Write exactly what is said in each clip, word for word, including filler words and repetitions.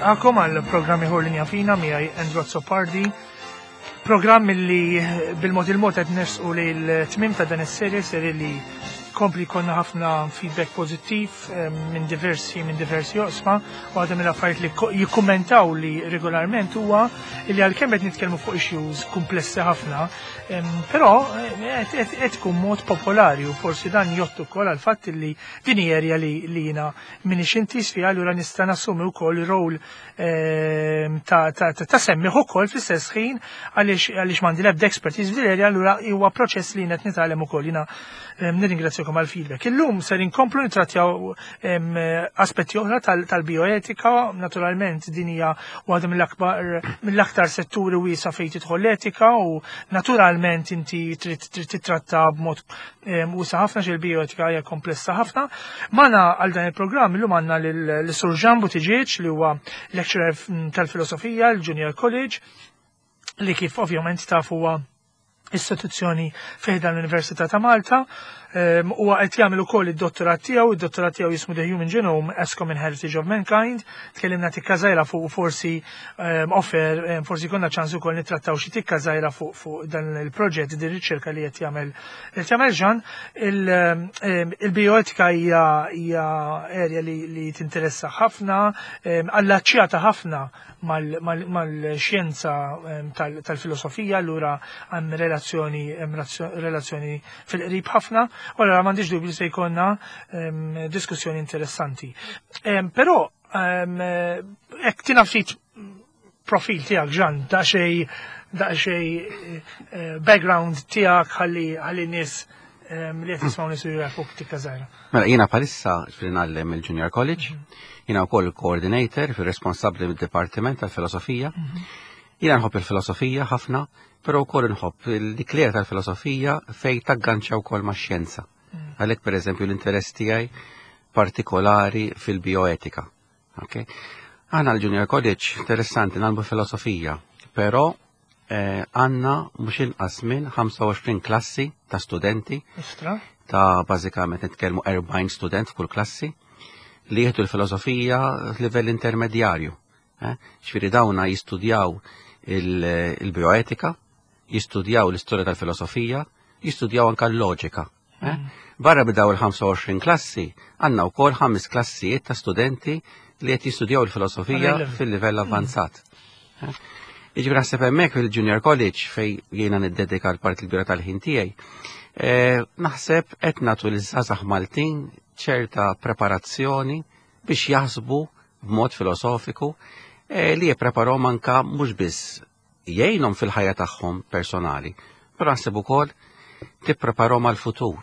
Nilqagħkom għal programm ieħor Linja Fina miegħi Andrew Azzopardi. Programm li bil-mod il-mod qed nersqu lejn it-tmiem ta' dan is-serje, serje li kompli konna ħafna feedback pożittiv eh, minn diversi minn diversi oqsma, u għadha mill-affarijiet li ko- jikkummentaw li regolarment huwa li għalkemm qed nitkellmu fuq issues komplessi ħafna, em, però eh, qed qed- qed tkun mod popolari u forsi dan jgħodd ukoll għal fatt li din hija area li li jiena minix intiż fiha, allura nista' nassumi wkoll rol em, ta' ta' ta' ta' semmiegħ ukoll fl-istess ħin, għaliex għaliex m'għandi l-ebda expertise f'din l-area, allura huwa proċess li jiena qed nitgħallem ukoll. Jiena em, nirringrazzjakom għal feedback. Illum ser inkomplu nitrattjaw em, aspetti oħra tal- tal-bioetika, naturalment din hija waħda mill-akbar mill-aktar setturi wiesa' fejn tidħol l-etika u naturalment inti trid trid titratta b'mod em, wiesa' ħafna xi l-bioetika hija komplessa ħafna. Magħna għal dan il-programm illum għandna lil Sur Jean Buttigieg, li huwa lecturer tal-filosofija l-Junior College, li kif ovvjament taf huwa istituzzjoni fi ħdan l-Università ta' Malta. Um, huwa qed jagħmel ukoll id-dottorat tiegħu, id-dottorat tiegħu jismu The Human Genome as Common Heritage of Mankind. Tkellimna tikka żgħira fuq forsi um, offer, um, forsi konna ċans ukoll nittrattaw xi tikka żgħira fuq fuq dan il-proġett, din riċerka li qed jagħmel qed jagħmel Jean. Il, um, Il-bioetika hija hija area li, li tinteressa ħafna, um, allaċċjata ħafna mal-xjenza um, tal-filosofija, allura hemm relazzjoni hemm relazzjoni fil-qrib ħafna, u allura m'għandix dubju se jkollna um, diskussjoni interessanti. Um, però um, hekk tina ftit profil tiegħek, Jean, daqsxejn daqsxejn eh, background tiegħek ħalli ħalli nies um, li qed jisimgħu nisu jafuk tikka żgħira. Mela, jiena bħalissa fil ngħallem il-Junior College, jiena wkoll coordinator fil-responsabbli mid-Dipartiment tal-Filosofija. Jiena nħobb il-filosofija ħafna, però wkoll nħobb l-iklera tal-filosofija fej tagganċa wkoll max-xjenza. Għalhekk, pereżempju, l-interess tiegħi partikolari fil-bioetika. Okay? Aħna l-Junior College, interessanti, ngħallmu filosofija, però eh, għandna mhux inqas minn ħamsa u għoxrin klassi ta' studenti Istra? ta' bażikament nitkellmu erbgħin student f'kull klassi li jieħdu l-filosofija f'livell intermedjarju. Eh? Ġifieri dawna jistudjaw il- il-bioetika, jistudjaw l-istorja tal-filosofija, jistudjaw anka l-loġika. Eh? Barra b'daw il-ħamsa u għoxrin klassi, għandna wkoll ħames klassijiet ta' studenti li qed jistudjaw il-filosofija Għal-level. fil-livell avvanzat. Eh? Jiġifieri naħseb hemmhekk fil-Junior College, fej jiena niddedika l-parti l-kbira tal-ħin tiegħi, eh, naħseb qed nagħtu liż-żgħażagħ Maltin ċerta preparazzjoni biex jaħsbu b'mod filosofiku eh, li jippreparahom anka mhux biss jgħinhom fil-ħajja tagħhom personali, però naħseb ukoll tippreparahom għal-futur,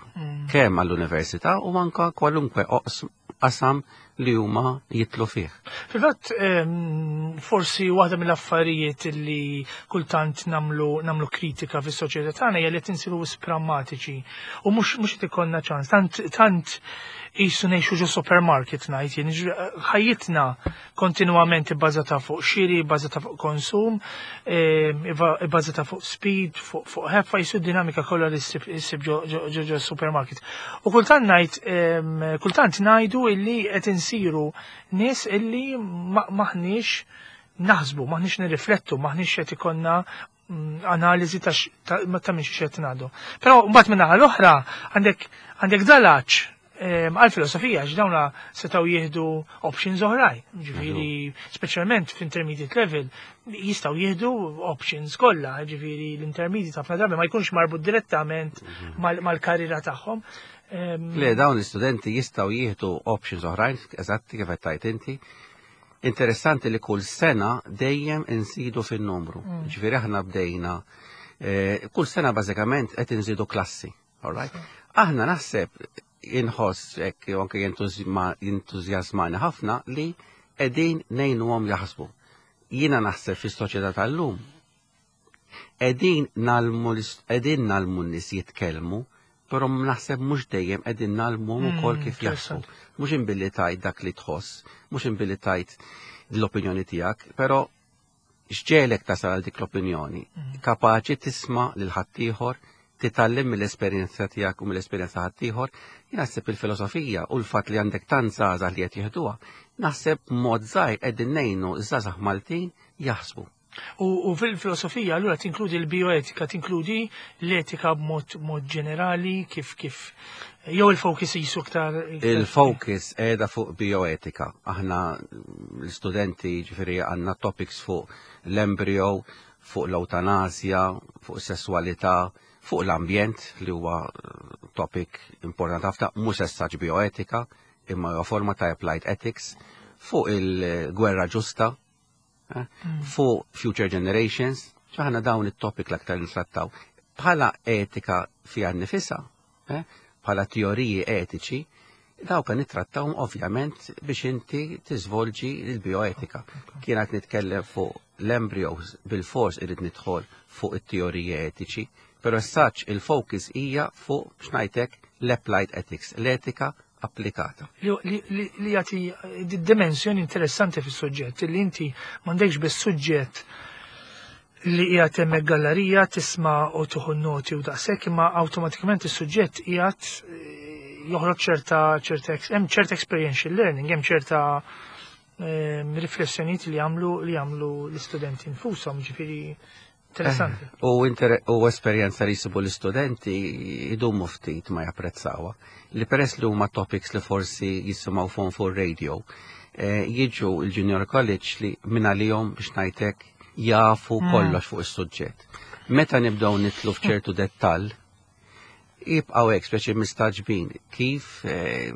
kemm għall-università u anka kwalunkwe oqs- qasam li huma jidħlu fih. Fil-fatt, em, forsi waħda mill-affarijiet li kultant nagħmlu nagħmlu kritika fis-soċjetà tagħna hija li qed insiru wisq prammatiċi u mhux mhux qed ikollna ċans. Tant tant qisu ngħixu ġo supermarket, ngħid jien, ġ- ħajjitna kontinwament ibbażata fuq xiri, ibbażata fuq konsum, em, iva- ibbażata fuq speed, fuq fuq ħeffa, qisu dinamika kollha li ssib issib ġo ġo- ġo ġo supermarket. U kultant ngħid em, kultant ngħidu illi qed insiru nies illi ma- maħniex naħsbu, maħniex nirriflettu, maħniex qed ikollna mm, analiżi ta' x- ta' ta' minn xi qed ngħidu. Però mbagħad minn naħa l-oħra għandek għandek dalaċ għal-filosofija, għax dawna setgħu jieħdu options oħrajn. Ġifieri, speċjalment f'intermediate level, jistgħu jieħdu options kollha, ġifieri l-intermediate ħafna drabi ma jkunx marbut direttament mal- mal-karriera tagħhom. Em, Le, dawn l-istudenti jistgħu jieħdu options oħrajn, eżatti kif qed tgħid inti. Interessanti li kull sena dejjem inżidu fin-numru. Ġifieri aħna bdejna eh, kull sena bażikament qed inżidu klassi. All right? Aħna naħseb inħoss hekk u anke jentużma- jentużjażmani ħafna li qegħdin ngħinuhom jaħsbu. Jiena naħseb fis-soċjetà tal-lum qegħdin ngħallmu qegħdin ngħallmu n-nies jitkellmu, però naħseb mhux dejjem qegħdin ngħallmuhom ukoll kif jaħsbu. Mhux imbilli tgħid dak li tħoss, mhux imbilli tgħid l-opinjoni tiegħek, però x'ġegħlek tasal għal dik l-opinjoni? Kapaċi tisma' lil ħaddieħor. Titgħallem mill-esperjenza tiegħek u mill-esperjenza ħaddieħor. Jien naħseb il-filosofija u l-fatt li għandek tant żgħażagħ li qed jieħduha, naħseb mod żgħir qegħdin ngħinu ż-żgħażagħ Maltin jaħsbu. U, u fil-filosofija allura tinkludi l-bioetika, tinkludi l-etika b'mod mod ġenerali, kif kif jew il-focus jisu iktar. Il-focus qiegħda fuq bioetika. Aħna l-studenti, ġifieri, għandna topics fuq l-embryo, fuq l-eutanasja, fuq sessualità, fuq l-ambjent, li huwa eh, topic importanti ħafna, mhux essaġ bioetika, imma huwa forma ta' applied ethics, fuq il-gwerra ġusta, eh, fuq future generations, aħna dawn it-topic l-aktar ntrattaw. Bħala etika fiha nifisha, eh, bħala teoriji etiċi, dawk nittrattawhom ovvjament biex inti tiżvolġi l-bioetika. Kienet nitkellem fuq l-embryos, bil-fors irrid nidħol fuq it-teoriji etiċi, però saċ il-focus hija fuq xnajtek l-applied ethics, l-etika applikata. Li, li, li, li jagħti di dimensjoni interessanti fis-suġġett, li inti m'għandekx biss suġġett li qiegħed hemmhekk gallerija tisma' u tieħu noti u daqshekk, imma awtomatikament is-suġġett qiegħed eh, joħroġ ċerta ċerta hemm ċerta experiential learning, hemm ċerta ehm, riflessjonijiet li jagħmlu li jagħmlu l-istudenti nfushom, ġifieri interessanti. Eh, U, inter u esperjenza li jsibu l-istudenti idumu ftit ma japprezzawha. Li peress li huma topics li forsi jisimgħu fuq fuq radio, eh, jiġu il-Junior College li minn għalihom, biex ngħidlek, jafu Mm. kollox fuq is-suġġett. Meta nibdew nidħlu f'ċertu dettall, jibqgħu hekk speċi mistagħġbin kif eh,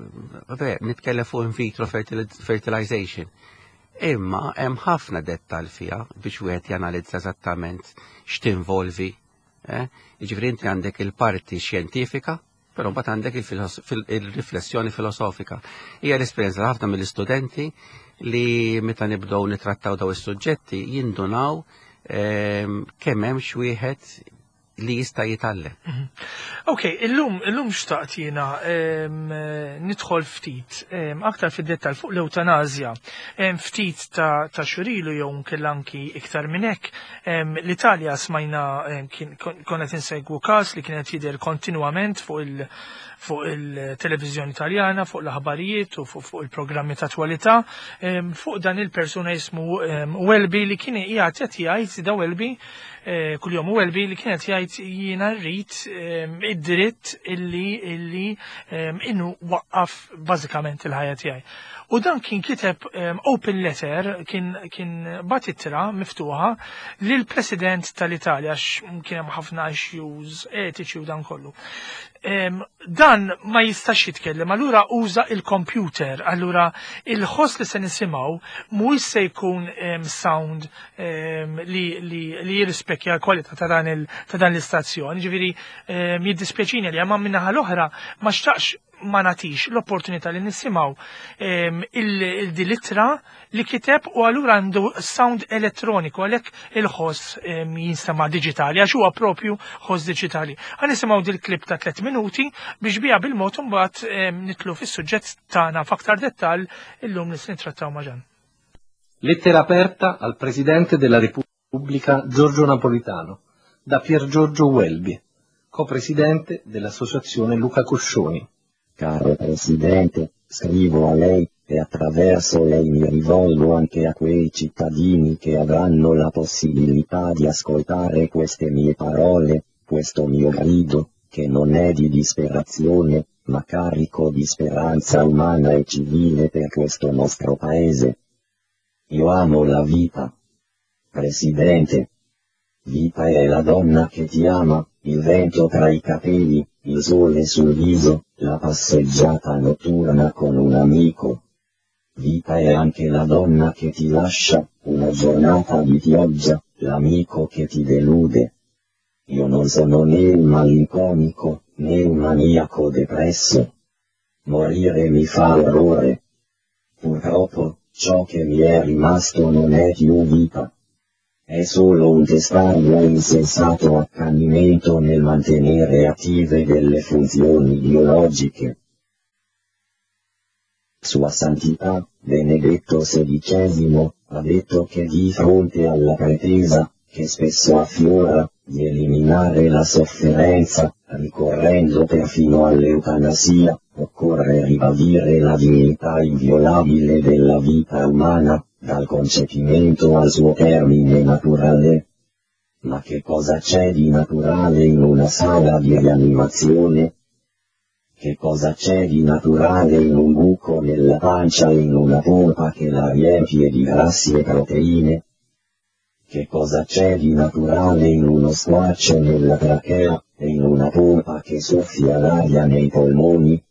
ver, nitkellem fuq in vitro fertili- fertilization. Imma hemm ħafna dettall fiha biex wieħed janalizza eżattament x'tinvolvi. Eh? Jiġifieri inti għandek il-parti xjentifika, però mbagħad għandek il-filos- fil- il-riflessjoni filosofika. Hija l-esperjenza ta' ħafna mill-istudenti li meta nibdew nitrattaw daw is-suġġetti jindunaw ehm, kemm hemm x'wieħed li jista' jitgħallem. Ok, illum, illum xtaqt jiena em, nidħol ftit em, aktar fid-dettal fuq l-eutanazja. Em, ftit ta', ta' xhur ilu jew nkella anki iktar minn hekk. em, L-Italja smajna em, kien- kon- konna insegwu każ li kienet jidher kontinwament fuq il- fuq il-televizjoni Italjana, fuq l-aħbarijiet u fuq, fuq il-programmi ta' attualità, em, fuq dan il-persuna jismu em, Welby li kien qiegħed qed jgħid da Welby eh, kuljum Welby li kienet jgħid jiena rrid em, id-dritt illi illi em, innu waqqaf bażikament il-ħajja tiegħi. U dan kien kiteb em, open letter, kien kien bagħat ittra miftuħa lil President tal-Italja għax kien hemm ħafna issues etiċi u dan kollu. Em, dan ma jistax jitkellem, allura uża il-computer, allura il-ħoss li se nisimgħu mhuwiex se jkun em, sound em, li, li, li jirrispekja l-kwalità ta' dan il- ta' dan l-istazzjon. Ġifieri em, jiddispjaċini li ma min-naħa l-oħra ma xtaqx ma nagħtix l-opportunità li nisimgħu em, il-dilitra li kiteb u allura għandu sound elettroniku, għalhekk il-ħoss em, jinstema' digitali għax huwa propju ħoss digitali. Ħa nisimgħu dil-klip ta' tliet minuti biex bija bil-mod imbagħad em, nidħlu fis-suġġett tagħna f'aktar dettall illum li se nittrattaw ma' Ġan. Lettera aperta al Presidente della Repubblica Giorgio Napolitano da Pier Giorgio Welby, copresidente dell'Associazione Luca Coscioni. Caro Presidente, scrivo a lei, e attraverso lei mi rivolgo anche a quei cittadini che avranno la possibilità di ascoltare queste mie parole, questo mio grido, che non è di disperazione, ma carico di speranza umana e civile per questo nostro paese. Io amo la vita. Presidente. Vita è la donna che ti ama, il vento tra i capelli, il sole sul viso, la passeggiata notturna con un amico. Vita è anche la donna che ti lascia, una giornata di pioggia, l'amico che ti delude. Io non sono né un malinconico, né un maniaco depresso. Morire mi fa orrore. Purtroppo, ciò che mi è rimasto non è più vita. È solo un testardo e insensato accanimento nel mantenere attive delle funzioni biologiche. Sua Santità, Benedetto sedicesimo, ha detto che di fronte alla pretesa, che spesso affiora, di eliminare la sofferenza, ricorrendo perfino all'eutanasia, occorre ribadire la dignità inviolabile della vita umana, dal concepimento al suo termine naturale. Ma che cosa c'è di naturale in una sala di rianimazione? Che cosa c'è di naturale in un buco nella pancia e in una pompa che la riempie di grassi e proteine? Che cosa c'è di naturale in uno squarcio nella trachea, e in una pompa che soffia l'aria nei polmoni?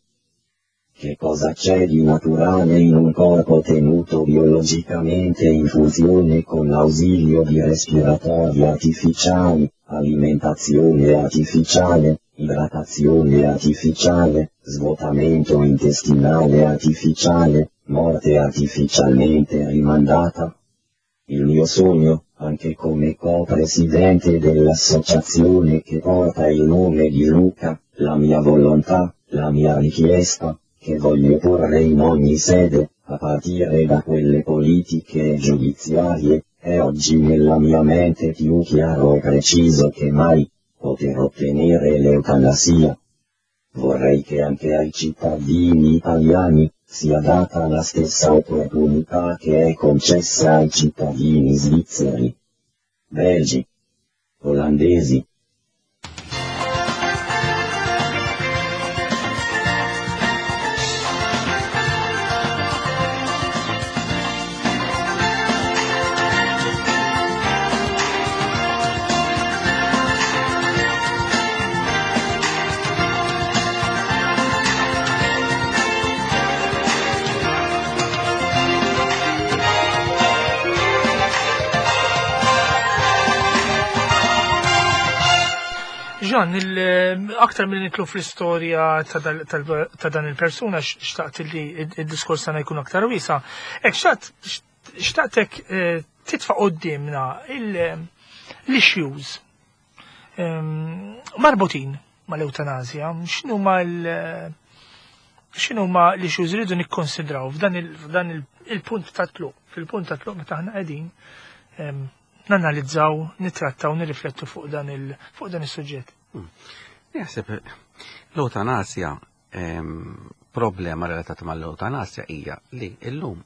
Che cosa c'è di naturale in un corpo tenuto biologicamente in funzione con l'ausilio di respiratori artificiali, alimentazione artificiale, idratazione artificiale, svuotamento intestinale artificiale, morte artificialmente rimandata? Il mio sogno, anche come co-presidente dell'associazione che porta il nome di Luca, la mia volontà, la mia richiesta, che voglio porre in ogni sede, a partire da quelle politiche e giudiziarie, è oggi nella mia mente più chiaro e preciso che mai, poter ottenere l'eutanasia. Vorrei che anche ai cittadini italiani sia data la stessa opportunità che è concessa ai cittadini svizzeri, belgi, olandesi. Jean, aktar minn nitlu fl-istorja ta' dan il-persuna, xtaqt li il-diskors tagħna jkun aktar wiesa. Ek xtaqtek titfa' qudiemna l-issues marbutin mal-eutanazja, x'inhuma x'inhuma l-issues rridu nikkonsidraw f'dan il-punt ta' tluq, fil-punt ta' tluq meta aħna qegħdin nanalizzaw, nitrattaw, nirriflettu fuq dan il fuq dan is-suġġett. Jaħseb l-eutanasja, problema relatata mal-eutanasja hija li llum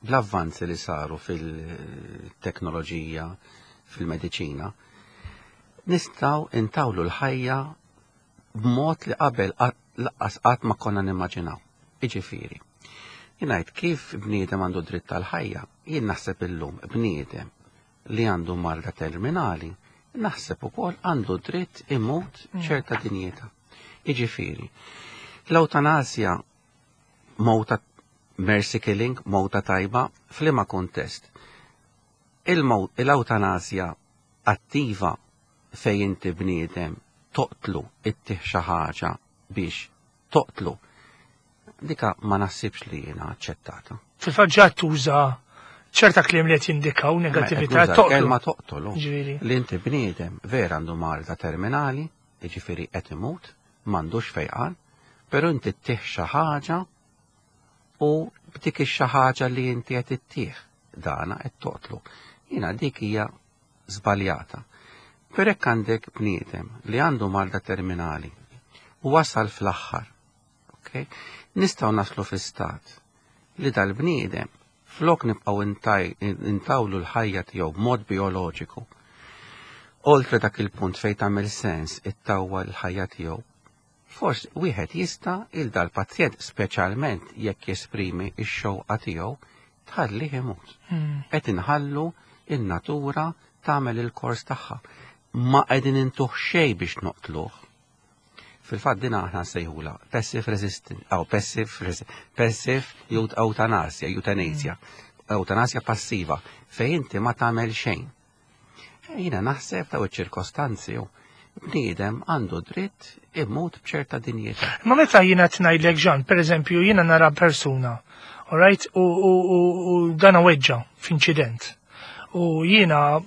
bl-avvanzi li saru fil-teknoloġija, fil-mediċina, nistgħu intawlu l-ħajja b'mod li qabel laqqas qatt ma konna nimmaġinaw. Jiġifieri, jien ngħid kif bniedem għandu dritt tal-ħajja, jien naħseb illum bniedem li għandu marda terminali, naħseb ukoll għandu dritt imut ċerta dinjità. Jiġifieri, l-eutanasja mowta mercy killing, mowta tajba, f'liema kuntest. L-eutanasja attiva fejn inti bniedem toqtlu ittih xi ħaġa biex toqtlu, dika ma naħsibx li jiena aċċettata. Fil-fatt ġa tuża ċerta kliem li qed jindikaw negattività, toqtlu. Toqtlu. Li inti bniedem vera għandu marda terminali, jiġifieri qed imut, m'għandux fejqan, però inti ttih xi ħaġa u b'dik ix-xi ħaġa li inti qed ittih dana qed toqtlu. Jiena dik hija żbaljata. Per hekk għandek bniedem li għandu marda terminali u wasal fl-aħħar, okay? Nistgħu naslu fi stat li dal-bniedem flok nibqgħu intawlu l-ħajja tiegħu b'mod bioloġiku. Oltre dak il-punt fejn tagħmel sens ittawwa l-ħajja tiegħu, forsi wieħed jista' il dal-pazjent speċjalment jekk jesprimi x-xewqa tiegħu tħallih imut. Qed inħallu in-natura tagħmel il-kors tagħha. Ma qegħdin intuh xejn biex noqtluh. Fil-fatt din aħna nsejħulha passive resistance, aw passive passive eutanasja, eutanasja, eutanasja passiva, fejn inti ma tagħmel xejn. Jiena naħseb taw iċ-ċirkostanzi bniedem għandu dritt imut b'ċerta dinjità. Ma meta jiena tngħidlek Jean, pereżempju jiena nara persuna, all right, u, u, u, u dana weġġa f'inċident. U jiena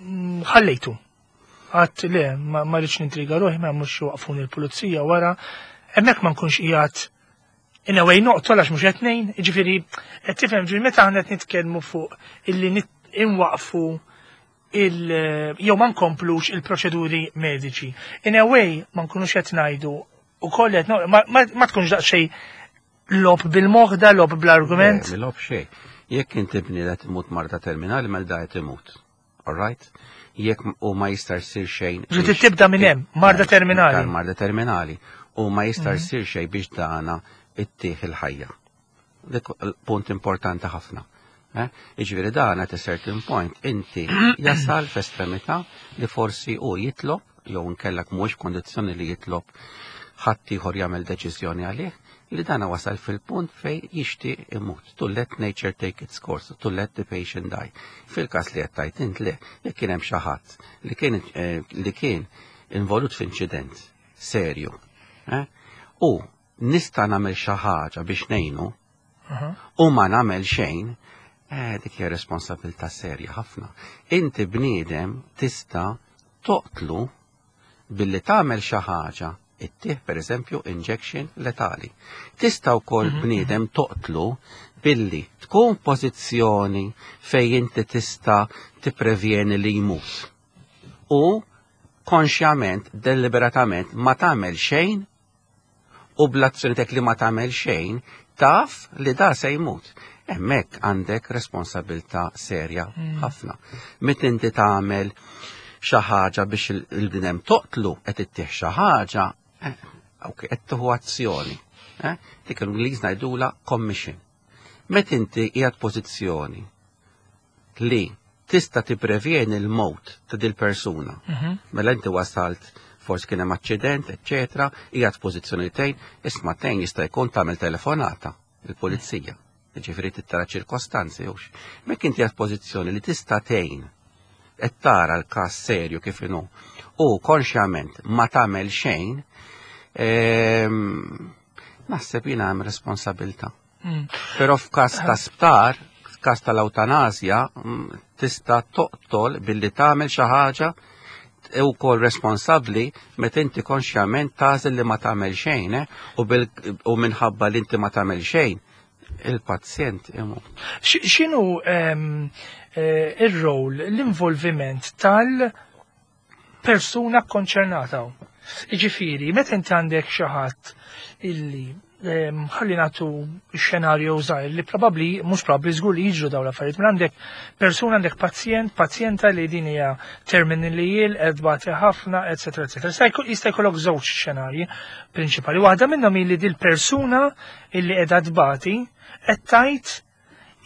ħallejtu. Għat le, ma rridx nintriga ruħi, ma mhux waqfuni l-pulizija wara, hemmhekk ma nkunx qiegħed in a way noqtol għax mhux qed ngħin, jiġifieri qed tifhem ġifieri meta aħna qed nitkellmu fuq illi inwaqfu il jew ma nkomplux il-proċeduri mediċi. In a way ma nkunux qed ngħidu ukoll qed ma, ma, ma tkunx daqsxejn logħob bil-moħda, logħob bl-argument. Le, logħob xejn. Jekk inti bniedem imut marda terminali, mela da qed imut. All right? Jekk u ma jista' jsir xejn. Ġiet tibda minn hemm, marda terminali. Marda terminali. U ma jista' jsir xejn biex dana ittih il-ħajja. Dik punt importanti ħafna. Eh? Iġifieri dan at a certain point inti jasal f'estremità li forsi u jitlob jew nkellak mhux kondizzjoni li jitlob ħadd ieħor jagħmel deċiżjoni għalih li dana wasal fil-punt fej jixtieq imut. To let nature take its course, to let the patient die. Fil-każ li qed tgħid int le, jekk kien hemm xi ħadd li kien eh, li kien involut f'inċident serju. Eh? U nista' nagħmel xi ħaġa biex ngħinu u ma nagħmel xejn, eh, dik hija responsabilità serja ħafna. Inti bniedem tista' toqtlu billi tagħmel xi ħaġa ittih per eżempju injection letali. Tista' wkoll bniedem toqtlu billi tkun pożizzjoni fejn inti tista' tipprevjeni li jmut. U konxjament, deliberatament ma tagħmel xejn u bl-azzjoni tek li ma tagħmel xejn taf li da se jmut. Hemmhekk għandek responsabilità serja ħafna. Meta inti tagħmel xi ħaġa biex il-bniedem toqtlu qed ittih xi ħaġa, eh, ok, qed tieħu azzjoni. Eh? Dik l-Ingliż ngħidula commission. Meta inti qiegħed pożizzjoni li tista' tipprevjeni l-mewt ta' dil persuna. Mela inti wasalt forsi kien hemm aċċident, eċċetera, qiegħed pożizzjoni tgħin, isma' tgħin jista' jkun tagħmel telefonata il-pulizija. Ġifieri tittara ċirkostanzi hux. Mek inti qiegħed pożizzjoni li tista' tgħin qed tara l-każ serju kif inhu u konxjament ma tagħmel xejn, ehm, naħseb jiena hemm responsabilità. Mm. Però f'każ ta' sptar, f'każ tal-ewtanasja, mm, tista' toqtol billi tagħmel xi ħaġa u kol responsabbli meta inti konxjament tagħżel li ma tagħmel xejn, eh, u, bil, u minħabba li inti ma tagħmel xejn, il-pazjent imut. X- X'inhu ehm, eh, ir-rol, l-involviment tal-persuna konċernata? Iġifieri, meta inti għandek xi ħadd illi ehm, ħalli nagħtu xenarju żgħir li probabbli mhux probabbli żgur li jiġru dawn l-affarijiet, mela għandek persuna għandek pazjent, pazjenta li din hija terminally ill, qed tbati ħafna, eċetera, eċetera. Jista' jkun- Jista' jkollok żewġ xenarji prinċipali. Waħda minnhom hi li dil persuna illi qiegħda tbati qed tgħid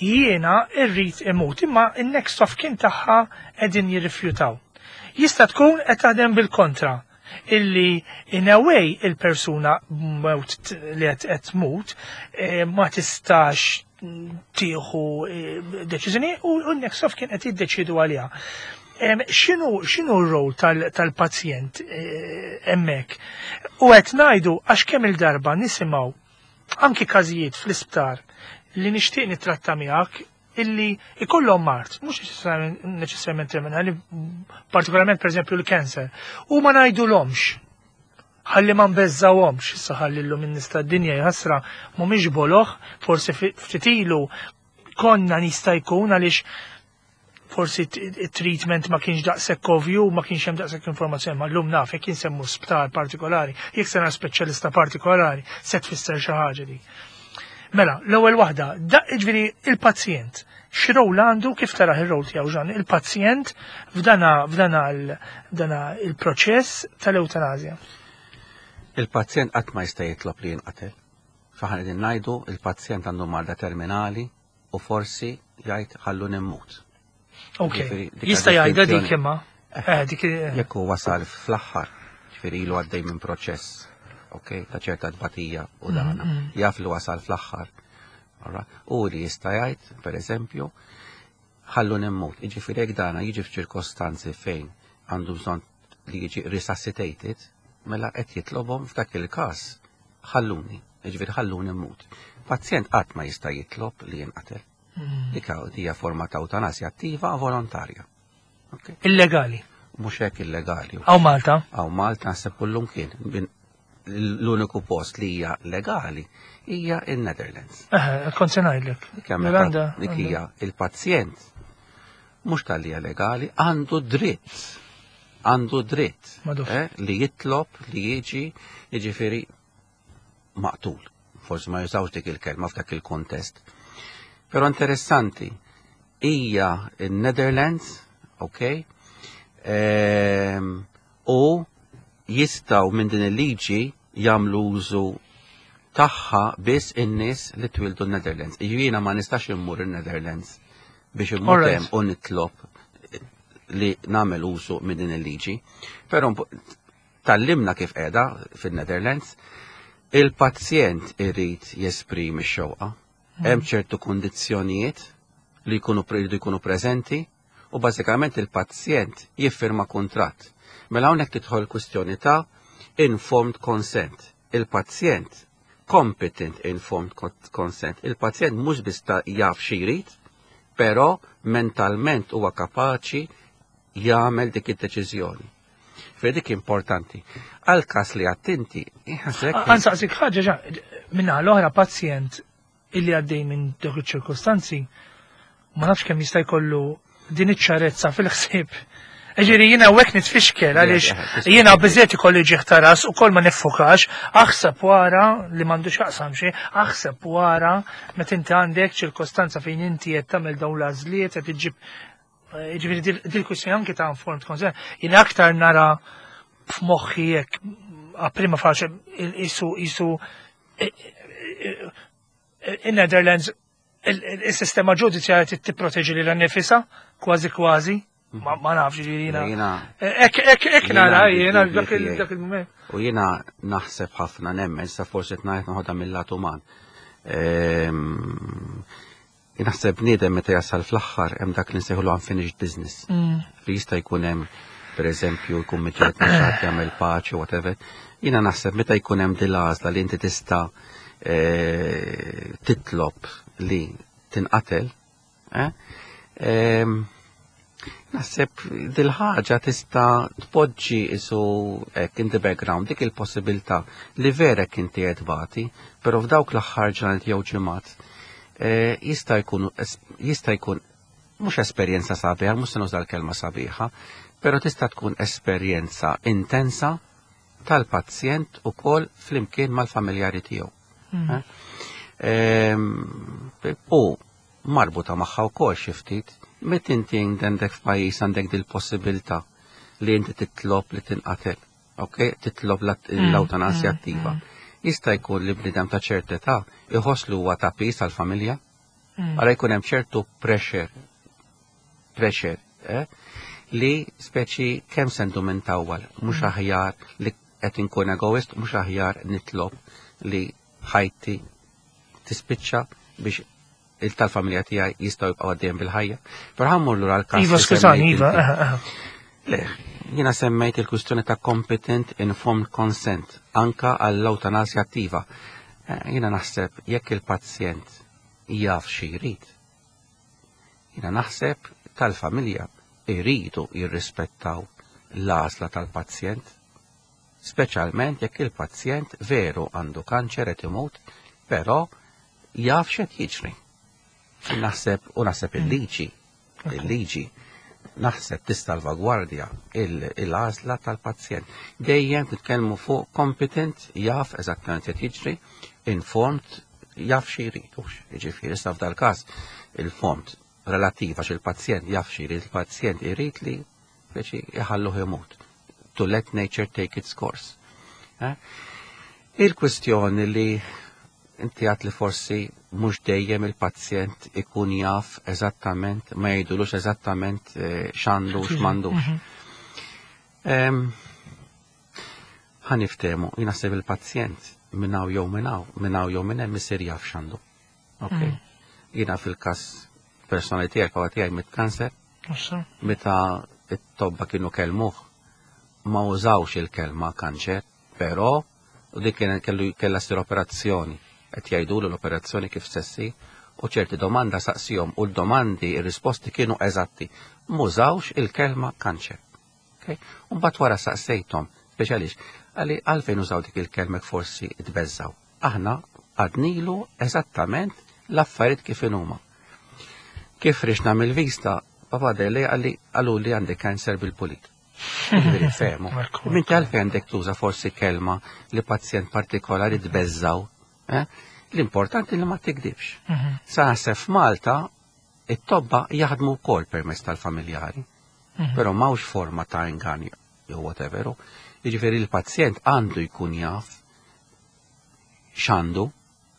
jiena irrid imut, imma in-next of kin tagħha qegħdin jirrifjutaw. Jista' tkun qed taħdem bil-kontra illi in a way il-persuna mewt li qed qed tmut eh, ma tistax tieħu eh, deċiżjoni u u n-next of kin qed jiddeċidu għaliha. Em, X'inhu x'inhu r-rol tal- tal-pazjent eh, hemmhekk? U qed ngħidu għax kemm il-darba nisimgħu anki każijiet fl-isptar li nixtieq nitratta miegħek illi ikollhom mard, mhux neċessarjament terminali, partikolarment pereżempju l-cancer, u ma ngħidulhomx ħalli ma nbeżżawhomx, issa ħalli llum in-nies tad-dinja jħassra mhumiex boloh, forsi ftit ilu konna nista' jkun għaliex forsi it-treatment ma kienx daqshekk ovvju, ma kienx hemm daqshekk informazzjoni, ma llum naf jekk insemmu sptar partikolari, jekk sena speċjalista partikolari, se tfisser xi ħaġa dik. Mela, l-ewwel waħda, da ġifieri il-pazjent, x'rol għandu kif tara ir-rol tiegħu Ġan, il-pazjent f'dana f'dana dana il-proċess tal-ewtanasja. Il-pazjent qatt ma jista' jitlob li jinqatel. Faħan qegħdin ngħidu il-pazjent għandu marda terminali u forsi jgħid ħallu nimmut. Ok, jista' jgħidha dik imma. Eh, dik Jekk hu wasal fl-aħħar, ġifieri ilu għaddej minn proċess, ok, ta' ċerta tbatija u dana, mm, mm. jaf li wasal fl-aħħar. U li jista' jgħid, per eżempju, ħallu nimmut. Jiġifieri jekk dana jiġi f'ċirkostanzi fejn għandu bżonn li jiġi resuscitated, mela qed jitlobhom f'dak il-każ ħalluni, jiġifieri ħalluni mmut. Pazjent qatt ma jista' jitlob li jinqatel. Mm. Dik hija forma ta' eutanasja attiva volontarja. Illegali. Mhux hekk illegali. Hawn Malta? Hawn Malta naħseb kullum kien. L-uniku post li hija legali hija in-Netherlands. Eh, kont se ngħidlek. Dik hija il-pazjent Mhux talli legali, għandu dritt. Għandu dritt eh, li jitlob li jiġi jiġifieri maqtul. Forsi ma jużawx dik il-kelma f'dak il-kontest. Però interessanti, hija in-Netherlands, ok, ehm, u jistgħu minn din il-liġi jagħmlu użu tagħha biss in-nies li twildu n-Netherlands. Jiena ma nistax immur in-Netherlands biex immur hemm u nitlob li nagħmel użu minn din il-liġi. Però tgħallimna kif qiegħda fin-Netherlands, il-pazjent irid jesprimi x-xewqa. Hemm ċertu kundizzjonijiet li jkunu jridu jkunu preżenti u bażikament il-pazjent jiffirma kuntratt. Mela hawnhekk tidħol kwistjoni ta' informed consent. Il-pazjent competent informed consent. Il-pazjent mhux biss ta' jaf xi jrid, però mentalment huwa kapaċi jagħmel dik id-deċiżjoni. Fejn dik importanti. Għal każ li attenti, Ħa nsaqsik ħaġa ġa, minna l-oħra pazjent illi għaddej minn dawk iċ-ċirkostanzi, ma nafx kemm jista' jkollu din iċ-ċarezza fil-ħsieb. Ġifieri jiena hekk nitfixkel għaliex jiena biżejt ikolli ġieħ ta' ras u kol ma niffukax, aħseb wara li m'għandux jaqsam xi, aħseb wara meta inti għandek ċirkostanza fejn inti qed tagħmel dawn l-għażliet qed iġġib ġifieri dil-kwistjoni anke ta' informed consent, jiena aktar nara f'moħħi jekk prima facie isu isu in-Netherlands il-sistema ġudizzjarja tipproteġi lilha nnifisha kważi kważi. Ma ma nafx jiena. Jiena Ek ek ek nara jiena dak il-moment. U jiena naħseb ħafna nemmen sa forsi tnajt noħodha mill-lat uman. Ehm, Naħseb bniedem meta jasal fl-aħħar hemm dak li nsejħulu unfinished business. Mm. Li jista' jkun hemm pereżempju jkun miġġieled ma' xi ħadd jagħmel paċi whatever. Jiena naħseb meta jkun hemm din l-għażla li inti tista' eh, titlob li tinqatel, eh, ehm, Naħseb dil-ħaġa tista' tpoġġi isu hekk in the background dik il-possibilità li vera inti qed tbati, però f'dawk l-aħħar ġranet jew ġimgħat eh, jista' jkun jista' jkun mhux esperjenza sabiħa, mhux se nuża l-kelma sabiħa, però tista' tkun esperjenza intensa tal-pazjent ukoll flimkien mal-familjari tiegħu. Mm. Eh? Ehm, U marbuta magħha wkoll xi ftit, meta inti għandek f'pajjiż għandek dil-possibilità li inti titlob li tinqatel, ok? Titlob l-ewtanasja mm, attiva. Jista' jkun li bniedem ta' ċerta età iħoss li huwa ta' piż għall-familja, Mm. għara jkun hemm ċertu pressure, pressure, eh? li speċi kemm se ndum intawwal, mhux aħjar li qed inkun egoist, mhux aħjar nitlob li ħajti tispiċċa biex il tal-familja tiegħi jistgħu jibqgħu għaddejjem bil-ħajja. Però ħa mmur lura l-każ. Iva, li skużani, semmejt Iva. inti. eh, eh. Le, jiena semmejt il-kwistjoni ta' competent informed consent anka għall-ewtanasja attiva. Eh, Jiena naħseb jekk il-pazjent jaf xi jrid. Jiena naħseb tal-familja iridu jirrispettaw l-għażla tal-pazjent, speċjalment jekk il-pazjent veru għandu kanċer qed imut, però jaf x'qed jiġri. Naħseb u naħseb il-liġi, il-liġi naħseb tissalvagwardja il-għażla tal-pazjent. Dejjem titkellmu fuq competent, jaf eżattament qed jiġri, informed, jaf xi jrid. Jiġifieri issa f'dal-każ il-fond relattiv għax il-pazjent jaf xi jrid, il-pazjent irid li speċi jħalluh imut. To let nature take its course. Eh? Il-kwistjoni li inti għat li forsi mhux dejjem il-pazjent ikun jaf eżattament, ma jgħidulux eżattament eh, x'għandu u x'm'għandux. Em, Ħa niftehmu, jien naħseb il-pazjent minn hawn jew minn hawn, minn hawn jew minn hemm isir jaf x'għandu. Ok. Jiena fil-każ personali tiegħek huwa tiegħi mit-kanser, Issa. meta it-tobba kienu kelmuh ma użawx il-kelma kanċer, però u dik kien kellu kellha ssir operazzjoni. Qed jgħidulu l-operazzjoni kif se ssir u ċerti domanda saqsihom u l-domandi ir-risposti kienu eżatti. M'użawx il-kelma kanċer. Okay? U mbagħad wara saqsejthom, speċjalix, għali għalfejn użaw dik il-kelma forsi tbeżżaw. Aħna għednilu eżattament l-affarijiet kif inhuma. Kif ħriġna mill-vista Papa deli għalli għallu li għandek kanser bil-pulit. Ġifieri fehmu. Minti għalfejn għandek tuża forsi kelma li pazjent partikolari tbeżżaw. Eh? L-importanti li ma tikdibx. Mhm. Sa naħseb f'Malta it-tobba jaħdmu wkoll permezz tal-familjari, Mhm. però m'hawnx forma ta' ingann jew whatever. Jiġifieri l-pazjent għandu jkun jaf x'għandu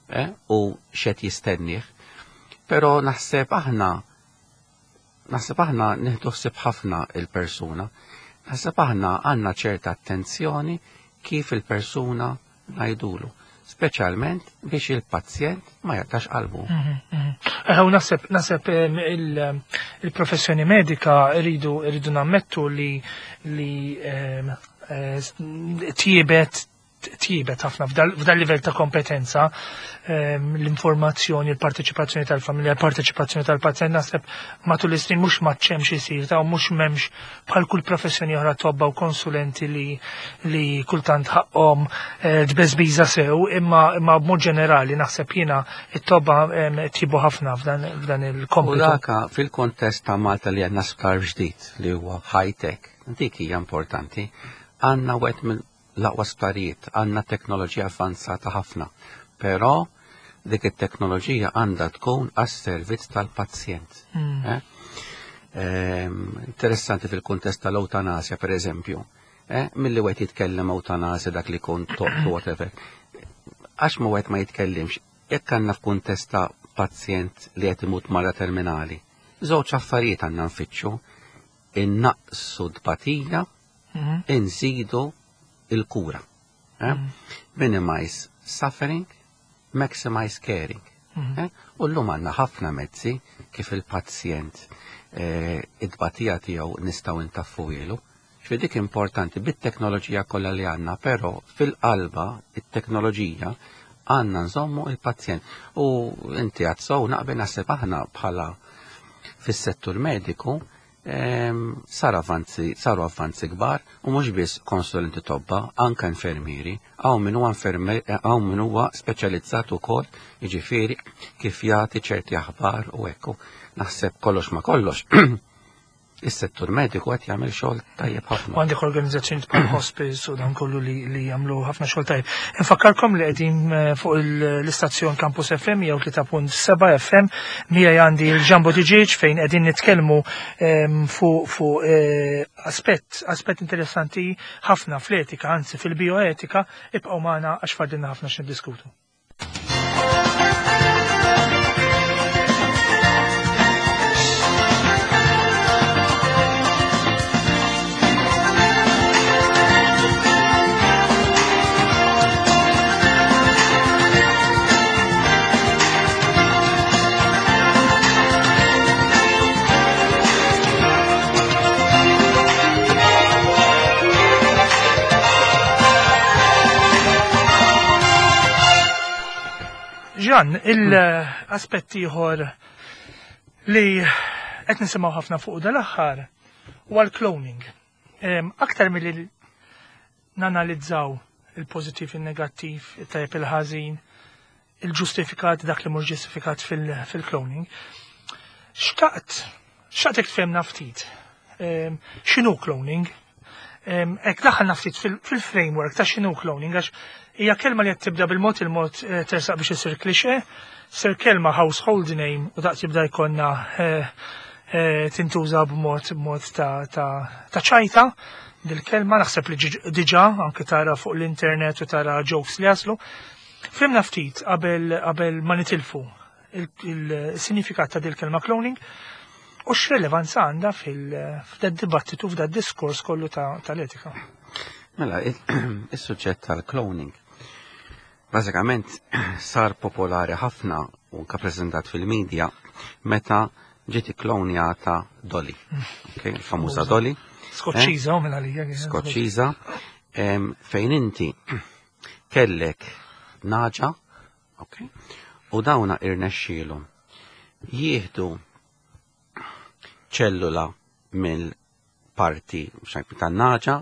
eh, u x'qed jistennih. Però naħseb aħna naħseb aħna nieħdu ħsieb ħafna il-persuna. Naħseb aħna għandna ċerta attenzjoni kif il-persuna ngħidulu, speċjalment biex il-pazjent ma jaqtax qalbu. Mhm, mhm. Eh, U naħseb naħseb em, il- il-professjoni medika rridu rridu nammettu li li em, eh, tjiebet tjiebet ħafna f'dal f'dal livell ta' kompetenza em, l-informazzjoni, il-parteċipazzjoni tal-familja, il-parteċipazzjoni tal-pazjent naħseb matul is-snin mhux m'għadx isir ta' u mhux m'hemmx bħal kull professjoni oħra tobba u konsulenti li li kultant ħaqhom eh, tbeżbiża sew, imma imma b'mod ġenerali naħseb jiena it-tobba em, tjibu ħafna f'dan f'dan U il-kompitu. daka fil-kontest ta' Malta li għandna sptar ġdid li huwa high-tech, dik hija importanti, għandna wieħed mill l-aqwa sptarijiet, għandna teknoloġija avvanzata ħafna, però dik it-teknoloġija għandha tkun għas-servizz tal-pazjent. Mm. Eh? Ehm, interessanti fil-kontest tal-eutanasja, per eżempju, eh? Milli wieħed jitkellem eutanasja dak li kun toqtu whatever. Għax ma wieħed ma jitkellimx, jekk għandna f'kuntest ta' pazjent li qed imut marda terminali, żewġ affarijiet għandna nfittxu, innaqsu tbatija, Mhm. inżidu il-kura. Eh? Minimize suffering, maximize caring. Mhm. Eh? U llum għandna ħafna mezzi kif il-pazjent eh, id-tbatija tiegħu nistgħu intaffuhielu. Ġifieri dik importanti bit-teknoloġija kollha li għandna, però fil-qalba it-teknoloġija għandna nżommu il-pazjent. U inti għad sew naqbel naħseb aħna bħala fis-settur mediku em, sar avanzi, saru avvanzi kbar u mhux biss konsulenti tobba, anka infermieri, hawn min huwa infermier, hawn min huwa speċjalizzat ukoll, jiġifieri kif jagħti ċerti aħbar u hekk. Naħseb kollox ma kollox. Is-settur mediku qed jagħmel xogħol tajjeb ħafna. U għandek organizzazzjoni bħal hospice u dan kollu li, li jagħmlu ħafna xogħol tajjeb. Infakkarkom li qegħdin eh, fuq il- l-istazzjon Campus F M jew tlieta punt seba' F M, miegħi għandi l-Ġambo Tiġiġ fejn qegħdin nitkellmu em, fuq fuq eh, aspett aspett interessanti ħafna fl-etika, anzi fil-bioetika, ibqgħu magħna għax fadilna ħafna x'niddiskutu. Ġan, il-aspett ieħor li qed nisimgħu ħafna fuq dal-aħħar huwa l-cloning. Em, Aktar milli nanalizzaw il-pożittiv, il-negattiv, il-tajjeb, il-ħażin, il-ġustifikat, dak li mhux ġustifikat fil-cloning. Xtaqt, xtaqtek tfehmna ftit. Em, X'inhu cloning? Em, Ek daħħalna ftit fil-framework ta' x'inhu cloning, għax hija kelma li qed tibda bil-mod il-mod eh, tersaq biex isir cliché, sir kelma household name u daqs jibda jkollna eh, eh, tintuża b'mod b'mod ta' ta' ta' ċajta dil-kelma, naħseb li ġiġ- diġà anke tara fuq l-internet u tara jokes li jaslu. Fhimna ftit qabel qabel ma nitilfu il-sinifikat ta' dil-kelma cloning u x'relevanza għandha fil-f'da dibattitu, f'da diskors kollu tal-etika. Mela, il-suġġett tal-cloning bażikament sar popolari ħafna u anka preżentat fil-medja meta ġiet ikklonjata Dolly. Okay, il-famuża Dolly. Skoċċiża u minn għalija. Skoċċiża, em, fejn inti kellek nagħġa, okay, u dawna irnexxielhom jieħdu ċellula mill-parti tan-nagħġa,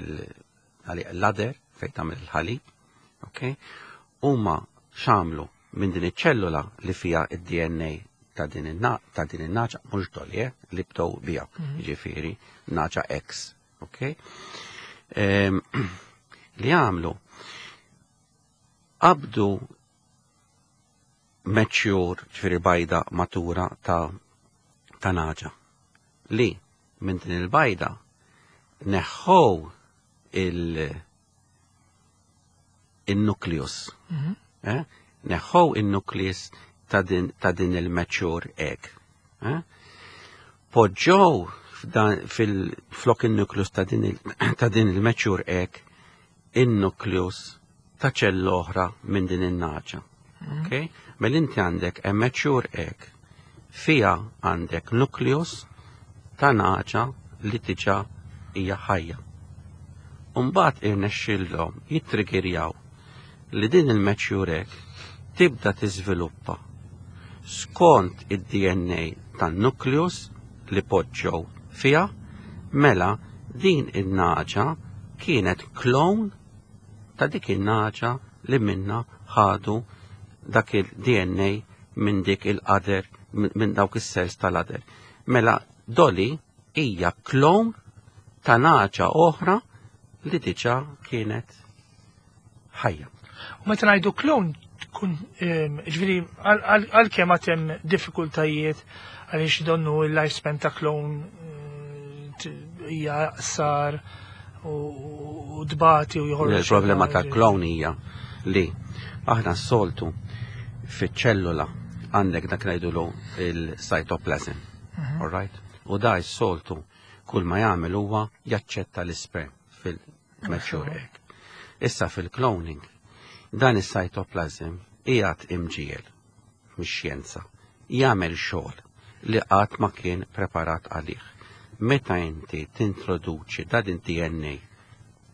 l-udder fejn tagħmel il-ħalib, okay? Huma x'għamlu minn din iċ-ċellula li fiha id-D N A ta' din in-nagħġa, mhux Dolly, eh, li bdew biha, jiġifieri nagħġa X, ok? Li għamlu qabdu mature, ġifieri bajda matura ta' ta' nagħġa li minn din il-bajda neħħow il- il-nucleus. Eh? Neħħow il-nucleus ta' din, ta' din il-mature egg. Eh? Poġġow fil-flok il-nucleus ta' din il-mature egg il-nucleus ta' ċella oħra minn din in-nagħġa. Okay? Mela inti għandek a mature egg fija għandek nucleus ta' nagħġa li diġà hija ħajja. Umbagħad irnexxillhom jittriggerjaw li din il-mature egg tibda tiżviluppa skont id-D N A tan-nucleus li poġġew fija. Mela din in-nagħġa kienet clone ta' dik in-nagħġa li minna ħadu dak il-D N A minn dik il-udder, minn dawk is-cells tal-udder. Mela Dolly hija clone ta' nagħġa oħra li diġà kienet ħajja. U meta ngħidu clone tkun, ġifieri, għalkemm għad hemm diffikultajiet għaliex donnu il-lifespan ta' clone hija sar u dbati u joħorġ. Il-problema ta' clone hija li aħna s-soltu fiċ-ċellula għandek dak ngħidulu il-cytoplasm. All right? U da s-soltu kull ma jagħmel huwa jaċċetta l-isperm fil-mature egg. Issa fil-cloning, dan is-cytoplasm qiegħed imġiel mix-xjenza jagħmel xogħol li qatt ma kien preparat għalih. Meta inti tintroduċi da din D N A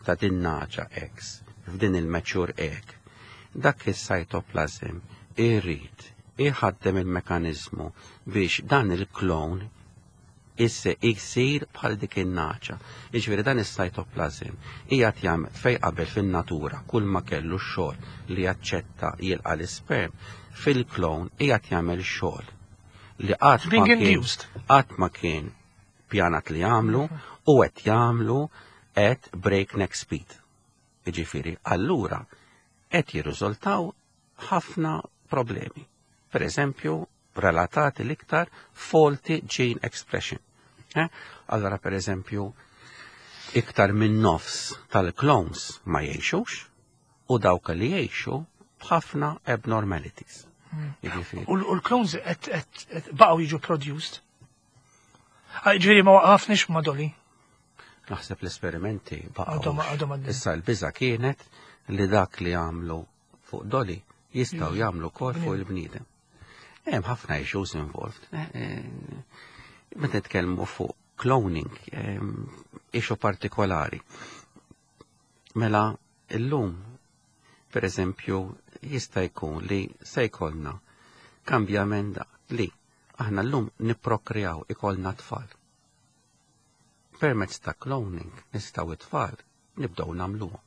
ta' din nagħġa X f'din il-mature egg, dak is-cytoplasm irrid iħaddem il-mekanizmu biex dan il-klon isse jsir bħal dik in-nagħġa. Jiġifieri dan is-cytoplasm qiegħed jagħmel fej qabel fin-natura kull ma kellu xogħol li jaċċetta jilqa' l-isperm, fil-klon qiegħed jagħmel xogħol li qatt ma kien qatt ma kien pjanat li jagħmlu u qed jagħmlu at breakneck speed. Jiġifieri allura qed jirriżultaw ħafna problemi. Per eżempju, relatati l-iktar faulty gene expression. Eh? Allora, per eżempju, iktar minn nofs tal-clones ma jgħixux u dawk li jgħixu b'ħafna abnormalities. Hmm. U l-clones baqgħu jiġu produced? Ah, ġifieri ma waqafniex ma' Dolly? Naħseb l-esperimenti baqgħu. Issa l-biża kienet li dak li għamlu fuq Dolly jistgħu jagħmlu kol fuq il-bniedem. Hemm ħafna issues involved. Eh, eh, meta nitkellmu fuq cloning, issue partikolari. Mela illum, per eżempju, jista' jkun li se jkollna kambjament li aħna llum nipprokreaw, ikollna tfal. Permezz ta' cloning nistgħu it-tfal nibdew nagħmluhom.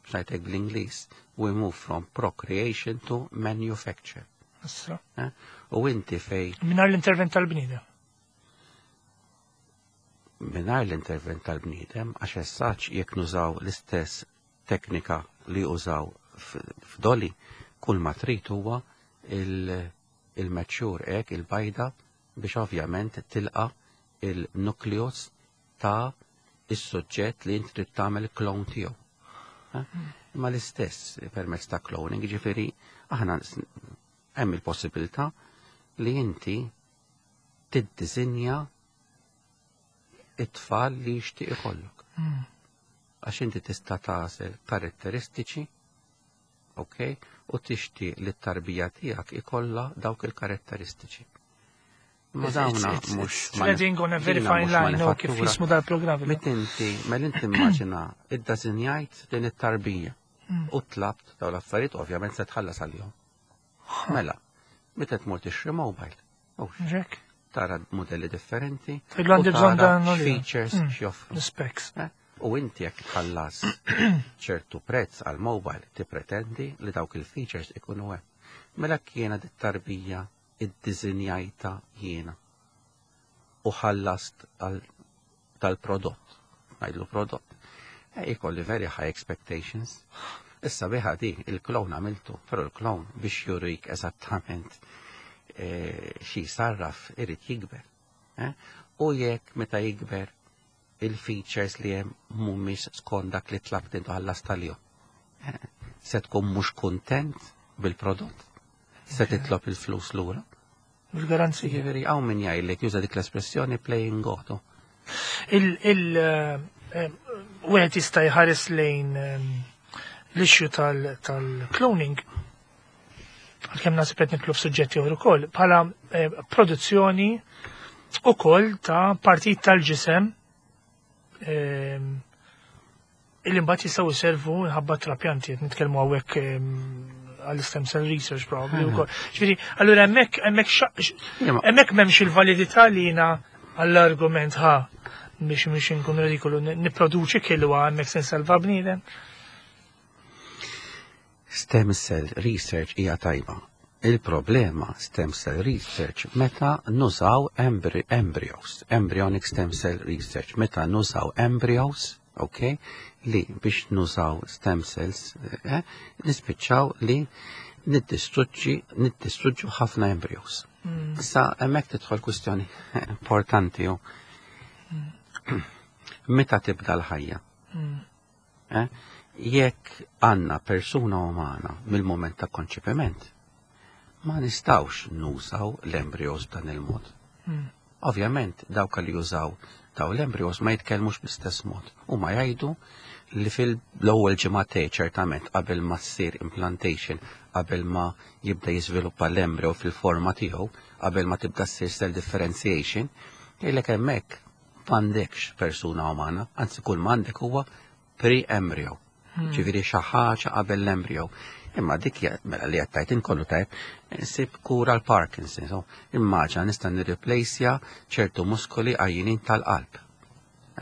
X'ngħidlek bl-Ingliż, we move from procreation to manufacture. Eh? U inti fej. Mingħajr l-intervent tal-bniedem. Mingħajr l-intervent tal-bniedem, għax essaċ jekk nużaw l-istess teknika li użaw f'Dolly, kull ma trid huwa il-mature egg, il-bajda, biex ovvjament tilqa il-nucleus ta' is-suġġett li inti trid tagħmel clone tiegħu. Eh? Imma l-istess permezz ta' cloning, ġifieri aħna hemm il-possibilità li inti tiddisinja it-tfal li jixtieq ikollok. Għax inti tista' tagħżel karatteristiċi, ok, u tixtieq li t-tarbija tiegħek ikollha dawk il-karatteristiċi. Ma dawna mhux Treading on a very fine line, no, kif jismu dal-programm. Meta inti, mela inti immaġina iddisinjajt din it-tarbija u tlabt daw l-affarijiet, ovvjament se tħallas għalihom. Mela, meta tmur tixtri mobile, Ġek. tara modelli differenti, Tgħidlu għandi u bżonn tara dan u li. features Mm. x'joffru. L-specs. Eh? U inti jekk tħallas ċertu prezz għal mobile tippretendi li dawk il-features ikunu hemm. Mela kiena dit tarbija iddisinjajtha jiena u ħallast tal-prodott, ngħidlu prodott, e ikolli very high expectations. Issa biħa di, il-klon għamiltu, pero il-klon biex jurik eżattament e, xi sarraf irid jikber. Eh? U jekk meta jikber il-features li hemm mhumiex skont dak li tlabt intu ħallast tal-jum. Eh, se tkun mhux kuntent bil-prodott. Se titlob il-flus lura. Bil-garanzija. Jiġifieri hawn min jgħidlek juża dik l-espressjoni playing God. Il il eh, wieħed jista' jħares lejn ehm, l-issue tal-cloning għalkemm naħseb qed nidħlu f'suġġetti oħra ukoll bħala eh, produzzjoni ukoll ta' partit tal-ġisem ehm, illi mbagħad jistgħu jservu nħabba trapjanti qed nitkellmu hawnhekk ehm, għall-stem cell research probably ukoll. Ġifieri, allura hemmhekk hemmhekk hemmhekk m'hemmx il-validità li jiena għall-argument ħa biex biex inkun ridikolu nipproduċi kilwa hemmhekk se nsalva bniedem. Stem cell research hija tajba. Il-problema stem cell research meta nużaw embry embryos, embryonic stem cell research, meta nużaw embryos, ok, li biex nużaw stem cells, eh, nispiċċaw li niddistruġġi niddistruġġu ħafna embryos. Mm. Issa hemmhekk tidħol kwistjoni importanti ju. Meta tibda l-ħajja? Mm. Eh? Jekk għandna persuna umana mill-moment ta' konċepiment, ma nistawx nużaw l-embryos b'dan il-mod. Mm. Ovvjament, dawk li jużaw daw l-embryos ma jitkellmux bl-istess mod. U ma jgħidu li fil-ewwel ġimagħtej ċertament qabel ma ssir implantation, qabel ma jibda jiżviluppa l-embryo fil-forma tiegħu, qabel ma tibda ssir cell differentiation, jgħidlek hemmhekk m'għandekx persuna umana, anzi kull m'għandek huwa pre-embryo. Hmm. Ġifieri xi ħaġa qabel l-embryo. Imma dik mela li għattajt inkollu tajb, nsib kura l-Parkinson. So, immaġina nista' nirreplacja ċertu muskoli għajjinin tal-qalb.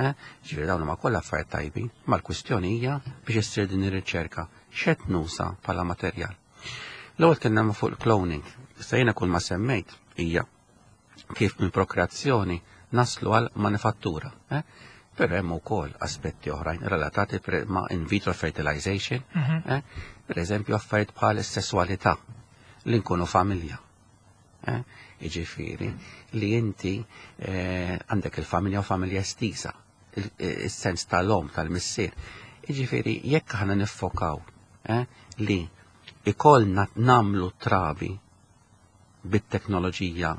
Eh? Ġifieri dawn huma kollha affarijiet tajbin, ma l-kwistjoni hija biex issir din ir-riċerka x'qed nuża bħala materjal. L-ewwel kellna fuq il-cloning. Issa jiena kull ma semmejt hija kif minn prokreazzjoni naslu għal manifattura. Eh? Però hemm ukoll aspetti oħrajn relatati ma' in vitro fertilization, mm -hmm. eh? Per eżempju affarijiet bħal is-sesswalità li nkunu familja. Eh? Jiġifieri li inti eh, għandek il-familja u familja estisa, il-sens tal-om, tal-missier. Jiġifieri jekk aħna niffokaw eh, li ikollna namlu trabi bit-teknoloġija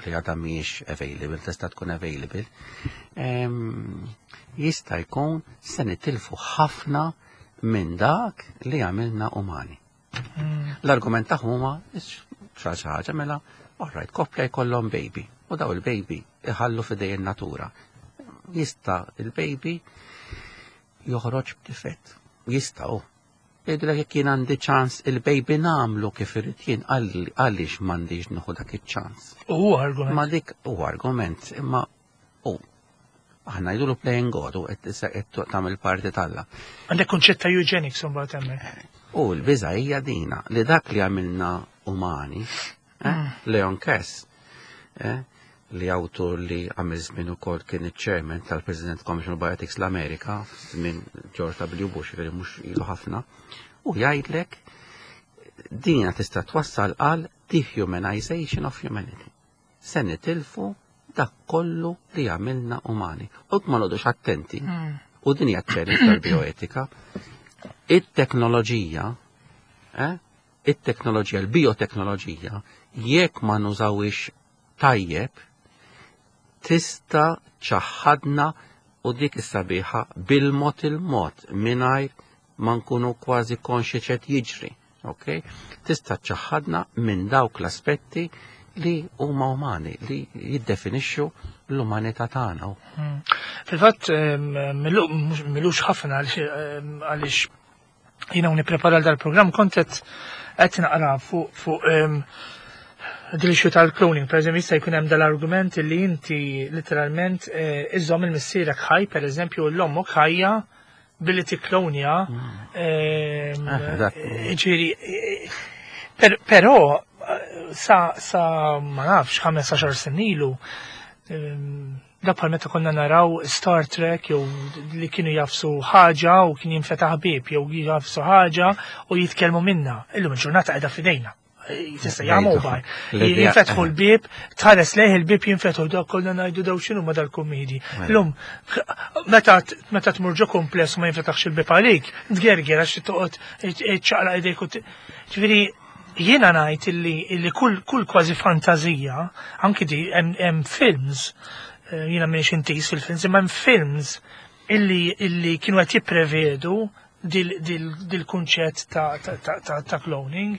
li għadha mhijiex available, tista' tkun available, jista' jkun se nitilfu ħafna minn dak li għamilna umani. Mm. L-argument tagħhom huma xi ħaġa mela, alright, koppja jkollhom baby u daw il-baby iħallu f'idej in-natura. Jista' il-baby joħroġ b'difett. Jista' u. Jgħidulek jekk jien għandi ċans il-baby nagħmlu kif irid jien għaliex m'għandix nieħu dak iċ-ċans. U argument. Ma dik u argument, imma u aħna jgħidulu playing God u qed tagħmel parti t'Alla. Għandek kunċett ta' eugenics imbagħad hemmhekk. U l-biża hija dina li dak li għamilna umani, eh, mm. Leon Kass, eh, li awtur li għamil żmien ukoll kien iċ-chairman tal-President Commission of Bioethics l-Amerika, żmien George W. Bush, veri mhux ilu ħafna, u jgħidlek dina tista' twassal għal dehumanization of humanity. Se nitilfu dak kollu li għamilna umani. U ma noqogħdux attenti. Mm. U din hija challenge tal-bioetika. It-teknoloġija, eh, it-teknoloġija, l-bioteknoloġija, jekk ma nużawix tajjeb, tista' ċaħħadna u dik is-sabiħa bil-mod il-mod mingħajr ma nkunu kważi konxi x'qed jiġri. Okay? Tista' ċaħħadna minn dawk l-aspetti li huma umani, li jiddefinixxu l-umanità tagħna. Hmm. Fil-fatt m'ilux ħafna għaliex jiena nipprepara dal-programm kont qed naqra fuq fuq dil-issue tal-cloning, per eżempju, jista' jkun hemm dal-argument li inti literalment eh, iżżomm il-missierek ħaj, per eżempju, l-ommok ħajja billi tikklonja. Hmm. Ehm, ah, ġifieri, eh, però Sa, sa ma nafx, ħames għaxar snin ilu, ehm, da bħal meta konna naraw Star Trek jew li kienu jagħfsu ħaġa u kien jinfetaħ bieb jew jagħfsu ħaġa u jitkellmu minna. Illum il-ġurnata qiegħda f'idejna. Tista' jagħmlu mobile. Jinfetħu l-bib, tħares lejh il-bib jinfetħu, dak kollha ngħidu daw x'inhu ma dal-kummidi. Illum meta meta tmur ġo kumpless u ma jinfetaħx il-bib għalik, tgerger għax toqgħod ċaqla idejk u ġifieri jiena ngħid illi illi kull kull kważi fantazija, anki di hemm films, eh, jiena m'iniex intiż fil-films, imma hemm films illi illi kienu qed jipprevedu dil-kunċett ta', ta, ta, ta, ta' cloning.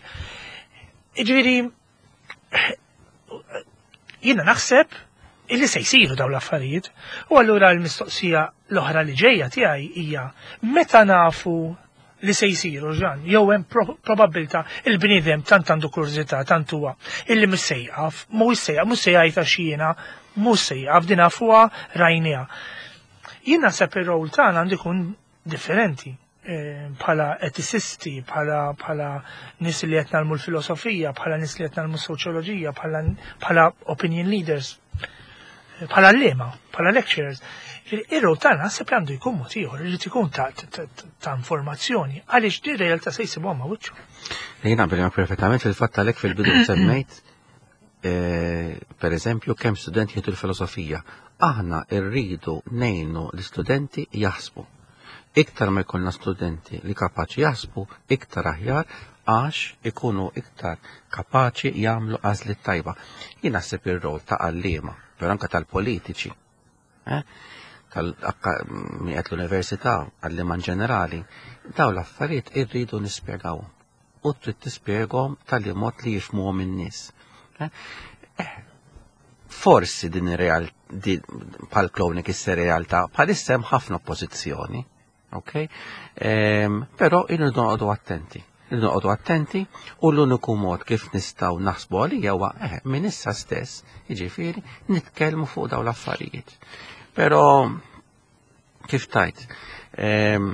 Ġifieri, jiena naħseb illi se jsiru dawn l-affarijiet. U allura l-mistoqsija l-oħra li ġejja tiegħi hija meta nafu li se jsiru ġan, jew hemm probabilità il-bniedem tant għandu kurżità, tant huwa illi mhux se jaqaf, mhux se jaqaf, mhux se jgħid għax jiena mhux se jaqaf din nafuha rajniha. Jien naħseb ir-rol tagħna għandu jkun differenti eh, bħala eticisti, bħala bħala nies li qed nagħmlu l-filosofija, bħala nies li qed nagħmlu soċjoloġija, bħala bħala opinion leaders, bħala għalliema, bħala lecturers. Ir-rol tagħna naħseb li għandu jkun mod ieħor, irid ikun ta' ta' informazzjoni, għaliex di realtà se jsibuha ma' wiċċu. Jiena naqbel perfettament. Fil-fatt għalhekk fil-bidu semmejt eh, per eżempju kemm studenti jieħdu l-filosofija. Aħna rridu ngħinu l-istudenti jaħsbu. Iktar ma jkollna studenti li kapaċi jaħsbu, iktar aħjar għax ikunu iktar kapaċi jagħmlu għażliet tajba. Jien naħseb ir-rol ta' għalliema, però anke tal-politiċi, eh? tal-miqet l-università, għalliema ġenerali, daw l-affarijiet irridu nispjegawhom. U trid tispjegahom tal mod li jifhmuhom in-nies. Eh? Eh, forsi din ir-real bħal cloning issa realtà, bħalissa hemm ħafna oppożizzjoni, ok? Ehm, però irridu noqogħdu attenti. Irridu noqogħdu attenti u l-uniku mod kif nistgħu naħsbu għalija huwa eh, minn issa stess, jiġifieri nitkellmu fuq dawn l-affarijiet. Però kif tajt, ehm,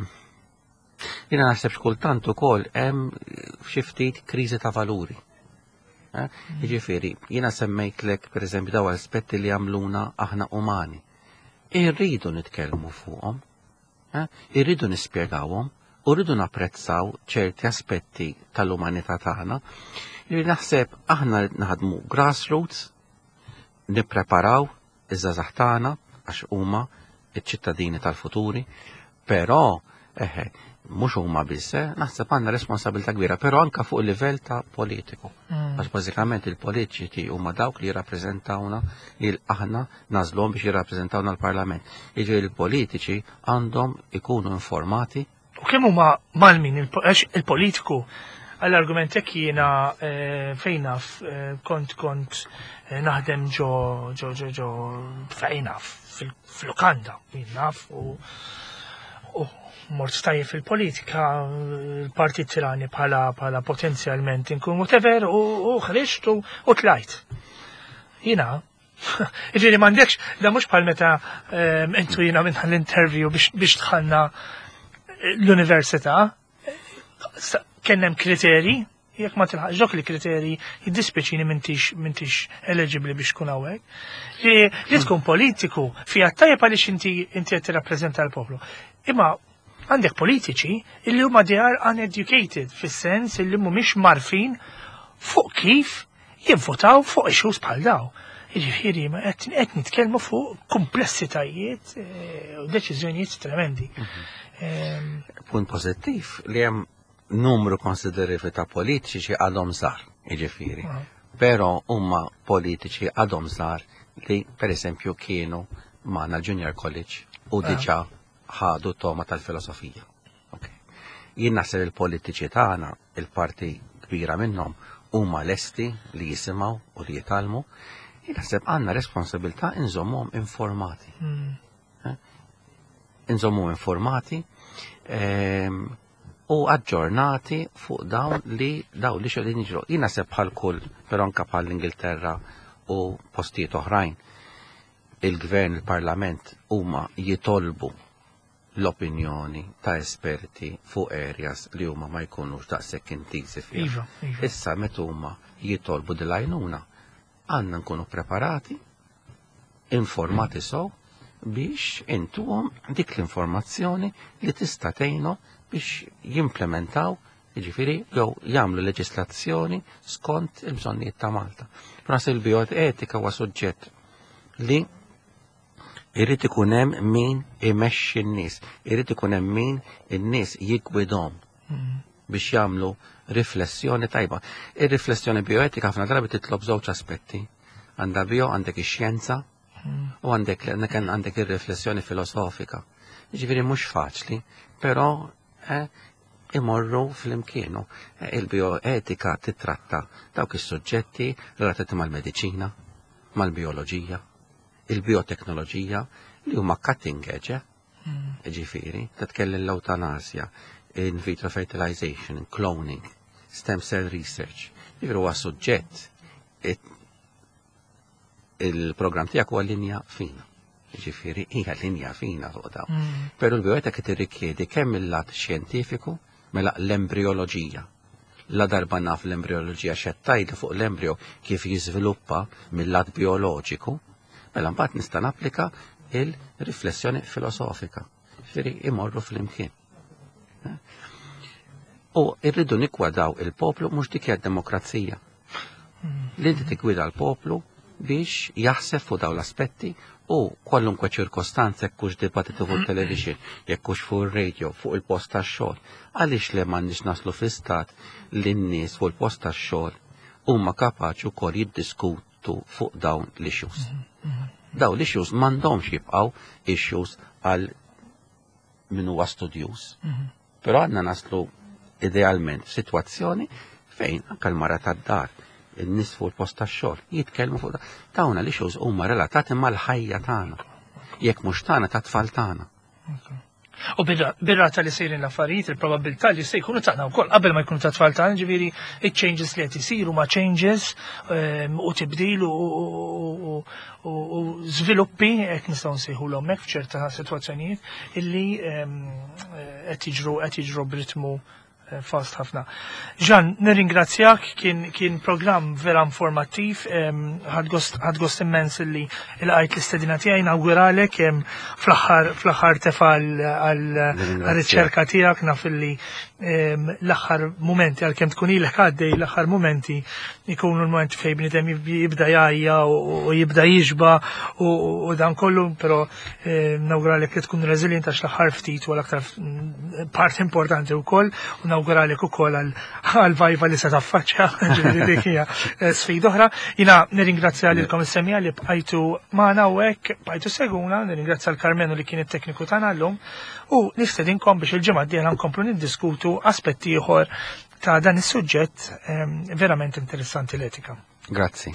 jiena naħseb xkultant ukoll hemm xi ftit kriżi ta' valuri. Eh? Jiġifieri, jiena semmejtlek pereżempju daw aspetti li jagħmluna aħna umani. Irridu nitkellmu fuqhom, eh? Irridu nispjegawhom, u rridu napprezzaw ċerti aspetti tal-umanità tagħna. Li naħseb aħna naħdmu grassroots, nippreparaw iż-żgħażagħ tagħna għax huma iċ-ċittadini tal-futuri, però eħe, mhux huma biss, eh, naħseb għandna responsabilità kbira, però anka fuq il-livell ta' politiku. Mm. Għax bażikament il-politiċi huma dawk li jirrappreżentawna li aħna nagħżluhom biex jirrappreżentawna l-Parlament. Jiġifieri il-politiċi għandhom ikunu informati. U kemm huma malmin għax il-politiku għall-argument jekk jiena eh, fejn naf eh, kont kont eh, naħdem ġo ġo ġo ġo fejn naf fil-lukanda jien naf u u mort tajjeb fil-politika, il-partit tirani bħala bħala potenzjalment inkun whatever u u ħriġt u u tlajt. Jiena Ġifieri m'għandekx, da mhux bħal meta ehm, intu jiena minn l-interview biex biex dħalna l-università, kien hemm kriteri, jekk ma tilħaqx dok il-kriteri, jiddispjaċini m'intix m'intix eligibbli biex tkun hawnhekk. Li li tkun politiku fiha tajjeb għaliex inti inti qed tirrappreżenta l-poplu. Imma għandek politiċi illi huma they are uneducated fis-sens illi mhumiex marfin fuq kif jivvotaw fuq issues bħal daw. Jiġifieri ma qed qed nitkellmu fuq komplessitajiet eh, u deċiżjonijiet tremendi. Ehm, Punt pożittiv li hemm numru konsiderevoli ta' politiċi għadhom żgħar, jiġifieri. Ah. Però huma politiċi għadhom żgħar li per eżempju kienu magħna Junior College u Ah. diġà ħadu toma tal-filosofija. Ok. Jien naħseb il-politiċi tagħna, il-parti kbira minnhom huma lesti li jisimgħu u li jitgħallmu. Jien naħseb għandna responsabilità inżommuhom informati. mm, Inżommuhom informati ehm, u aġġornati fuq dawn li dawn li xogħolin jiġru. Jien naħseb bħal kull, però anke bħal l-Ingilterra u postijiet oħrajn, il-gvern, il-parlament huma jitolbu l-opinjoni ta' esperti fuq areas li huma ma jkunux daqshekk intiżi fiha. Iva, iva. Issa meta huma jitolbu dil-għajnuna, għandna nkunu preparati, informati sew biex intuhom dik l-informazzjoni li tista' tgħinhom biex jimplementaw, jiġifieri jew jagħmlu leġislazzjoni skont il-bżonnijiet ta' Malta. Naħseb il-bioetika huwa suġġett li irrid ikun hemm min imexxi n-nies, irrid ikun hemm min in-nies jiggwidhom biex jagħmlu riflessjoni tajba. Ir-riflessjoni bioetika ħafna drabi titlob żewġ aspetti. Għandha bio, għandek ix-xjenza u għandek għandek ir-riflessjoni filosofika. Jiġifieri mhux faċli, però eh, imorru flimkien. Eh, Il-bioetika titratta dawk is-suġġetti relatati mal-mediċina, mal-bioloġija, il-bioteknoloġija li huma cutting edge, eh? Ġifieri, titkellem l-eutanasja, in vitro fertilization, cloning, stem cell research. Ġifieri huwa suġġett it- il-programm tiegħek huwa linja fina. Ġifieri hija linja fina fuq dawn. Mm. Però l-bioetika tirrikjedi kemm il-lat xjentifiku, mela l-embrioloġija. La darba naf l-embrioloġija xettajli fuq l-embrio kif jiżviluppa mill-lat bioloġiku, mela mbagħad nista' napplika il-riflessjoni filosofika. Ġifieri imorru flimkien. Eh? U irridu niggwidaw il-poplu, mhux dik hija demokrazija. Li inti tiggwida l-poplu biex jaħseb fuq dawn l-aspetti u kwalunkwe ċirkostanza, jekk hux dibattitu fuq television, jekk hux fuq ir-radio, fuq il-post tax-xogħol. Għaliex le m'għandniex naslu fi stat li n-nies fuq il-post tax-xogħol huma kapaċi wkoll jiddiskutu fuq dawn l-issues? Dawn l-issues m'għandhomx jibqgħu issues għal min huwa studjuż. Però għandna naslu idealment f'sitwazzjoni fejn anke l-mara tad-dar, in-nies fuq il-post tax-xogħol jitkellmu fuq dawn l-issues huma relatati mal-ħajja tagħna. Jekk mhux tagħna, ta' tfal tagħna. U bir-rata li sejrin l-affarijiet, il-probabilità li se jkunu tagħna wkoll qabel ma jkunu ta' tfal tagħna, ġifieri il-changes li qed isiru ma changes ehm, u tibdil u- u- u u żviluppi, qed nistgħu nsejħulhom hekk f'ċerta sitwazzjonijiet, illi ehm, qed jiġru qed jiġru b'ritmu eh, fast ħafna. Jean, nirringrazzjak, kien, kien program vera informattiv, em, ħadt gost ħadt gost immens illi il-għajt l-istedina tiegħi, nawguralek em, fl-aħħar fl-aħħar tefa għal-riċerka tiegħek, naf illi em, l-aħħar momenti, għalkemm tkun ilek għaddej, l-aħħar momenti ikunu l-moment fejn bniedem jibda jgħajja u u jibda jixba u u dan kollu, però em, nawguralek li tkun resilient għax l-aħħar ftit u l-aktar mm, part importanti wkoll u nawguralek ukoll għal għal-viva li se taffaċċja, ġifieri dik hija eh, sfida oħra. Jiena nirringrazzja lilkom is-semmiegħa li bqajtu magħna u hekk bqajtu seguna, nirringrazzja l-Karmenu li kien it-tekniku tagħna llum u nistedinkom biex il-ġimgħa d-dieħla nkomplu niddiskutu aspetti ieħor ta' dan is-suġġett ehm, verament interessanti, l-etika. Grazzi.